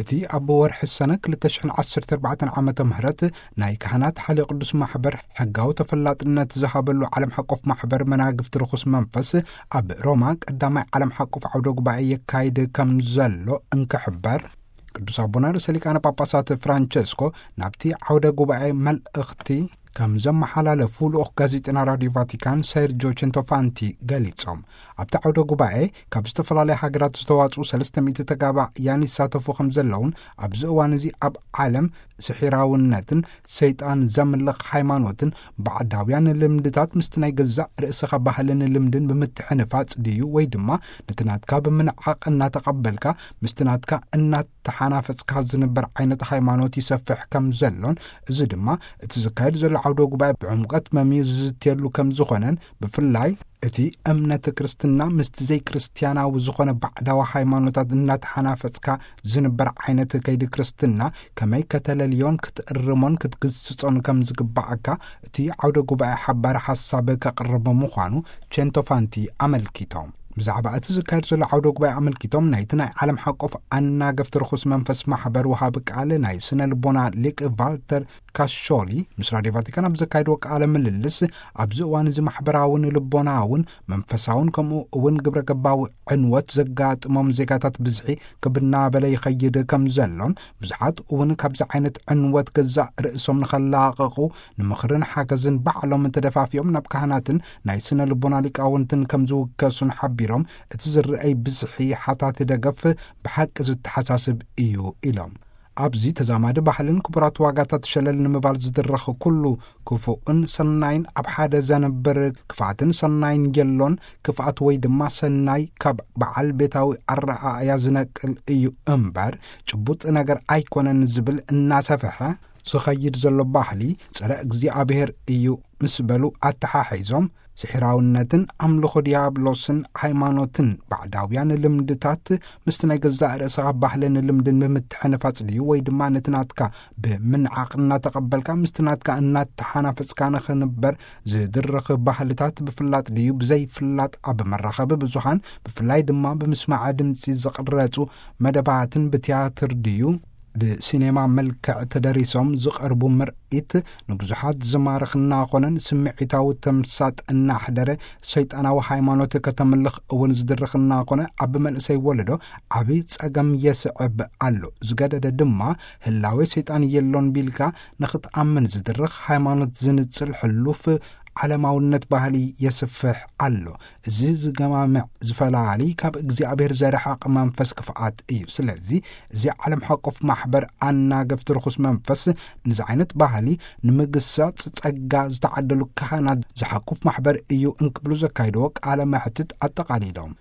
እቲ ኣብ ወርሒ ሰነ ክልተ ሽሕን ዓሰርተ ኣርባዕተን ዓመተ ምህረት ናይ ካህናት ሓልዮ ቅዱስ ማሕበር ሕጋዊ ተፈላጥነት ዝሃበሉ ዓለም ሓቆፍ ማሕበር መናግፍቲ ርኹስ መንፈስ ኣብ ሮማ ቀዳማይ ዓለም ሓቆፍ ዓውደ ጉባኤ የካይድ ከም ዘሎ እንክሕበር፣ ቅዱስ ኣቦና ርእሰ ሊቃነ ጳጳሳት ፍራንቸስኮ ናብቲ ዓውደ ጉባኤ መልእኽቲ ከም ዘመሓላለፉ ልኡኽ ጋዜጠና ራዲዮ ቫቲካን ሰርጆ ቸንቶፋንቲ ገሊጾም። ኣብቲ ዓውደ ጉባኤ ካብ ዝተፈላለያ ሃገራት ዝተዋጽኡ ሰለስተ ሚእቲ ተጋባእያን ይሳተፉ ከም ዘለውን፣ ኣብዚ እዋን እዚ ኣብ ዓለም ስሒራውነትን ሰይጣን ዘምልኽ ሃይማኖትን ባዕዳውያን ልምድታት ምስቲ ናይ ገዛእ ርእስኻ ባህልን ልምድን ብምትሕንፋጽ ድዩ፣ ወይ ድማ ነቲ ናትካ ብምንዓቕ እናተቐበልካ ምስቲ ናትካ እናተሓናፈጽካ ዝንበር ዓይነት ሃይማኖት ይሰፍሕ ከም ዘሎን፣ እዚ ድማ እቲ ዝካየድ ዘሎ ዓውደ ጉባኤ ብዕምቀት መምዩ ዝዝትየሉ ከም ዝኾነን፣ ብፍላይ እቲ እምነት ክርስትና ምስቲ ዘይክርስትያናዊ ዝኾነ ባዕዳዊ ሃይማኖታት እናተሓናፈጽካ ዝንበር ዓይነት ከይዲ ክርስትና ከመይ ከተለልዮን ክትእርሞን ክትግስጾን ከም ዝግባኣካ እቲ ዓውደ ጉባኤ ሓባሪ ሓሳብ ከቕርብ ምዃኑ ቸንቶፋንቲ ኣመልኪቶም። ብዛዕባ እቲ ዝካየድ ዘሎ ዓውደ ጉባኤ ኣመልኪቶም፣ ናይቲ ናይ ዓለም ሓቆፍ ኣናገፍቲ ርኹስ መንፈስ ማሕበር ወሃቢ ቃል ናይ ስነ ልቦና ሊቅ ቫልተር ካሾሊ ምስ ራድዮ ቫቲካን ኣብ ዘካየድዎ ቃለ ምልልስ፣ ኣብዚ እዋን እዚ ማሕበራውን ልቦናውን መንፈሳውን ከምኡ እውን ግብረ ገባዊ ዕንወት ዘጋጥሞም ዜጋታት ብዝሒ ክብ እናበለ ይኸይድ ከም ዘሎን፣ ብዙሓት እውን ካብዚ ዓይነት ዕንወት ገዛእ ርእሶም ንኸላቐቑ ንምኽርን ሓገዝን ባዕሎም ተደፋፊኦም ናብ ካህናትን ናይ ስነ ልቦና ሊቃውንትን ከም ዝውከሱን ሓቢሮም፣ እቲ ዝረኣይ ብዝሒ ሓታት ደገፍ ብሓቂ ዝተሓሳስብ እዩ ኢሎም። ኣብዚ ተዛማዲ ባህልን ክቡራት ዋጋታት ሸለል ንምባል ዝድረኽ ኩሉ ክፉእን ሰናይን ኣብ ሓደ ዘንብር ክፍኣትን ሰናይን የሎን። ክፍኣት ወይ ድማ ሰናይ ካብ በዓል ቤታዊ ኣረኣእያ ዝነቅል እዩ እምበር፣ ጭቡጥ ነገር ኣይኮነን ዝብል እናሰፍሐ ዝኸይድ ዘሎ ባህሊ ጸረ እግዚኣብሔር እዩ ምስ በሉ ኣተሓሒዞም፣ ስሒራውነትን ኣምልኾ ዲያብሎስን ሃይማኖትን ባዕዳውያን ልምድታት ምስቲ ናይ ገዛእ ርእስኻ ባህልን ልምድን ብምትሕንፋጽ ድዩ፣ ወይ ድማ ነቲ ናትካ ብምንዓቕ እናተቐበልካ ምስቲ ናትካ እናተሓናፈጽካ ንኽንበር ዝድርኽ ባህልታት ብፍላጥ ድዩ ብዘይፍላጥ ኣብ መራኸቢ ብዙሃን፣ ብፍላይ ድማ ብምስማዕ ድምጺ ዝቕረጹ መደባትን ብትያትር ድዩ ብሲኔማ መልክዕ ተደሪሶም ዝቐርቡ ምርኢት ንብዙሓት ዝማርኽ እናኾነን ስምዒታዊ ተምሳጥ እናሕደረ ሰይጣናዊ ሃይማኖት ከተምልኽ እውን ዝድርኽ እናኾነ፣ ኣብ መንእሰይ ወለዶ ዓቢ ጸገም የስዕብ ኣሎ። ዝገደደ ድማ ህላዌ ሰይጣን የሎን ቢልካ ንኽትኣምን ዝድርኽ ሃይማኖት ዝንጽል ሕሉፍ ዓለማውነት ባህሊ የስፍሕ ኣሎ። እዚ ዝገማምዕ ዝፈላሊ ካብ እግዚኣብሔር ዘርሕቕ መንፈስ ክፍኣት እዩ። ስለዚ እዚ ዓለም ሓቆፍ ማሕበር ኣናገፍቲ ርኹስ መንፈስ ነዚ ዓይነት ባህሊ ንምግሳጽ ጸጋ ዝተዓደሉ ካህናት ዝሓቁፍ ማሕበር እዩ እንክብሉ ዘካይድዎ ቃለ መሕትት ኣጠቓሊሎም።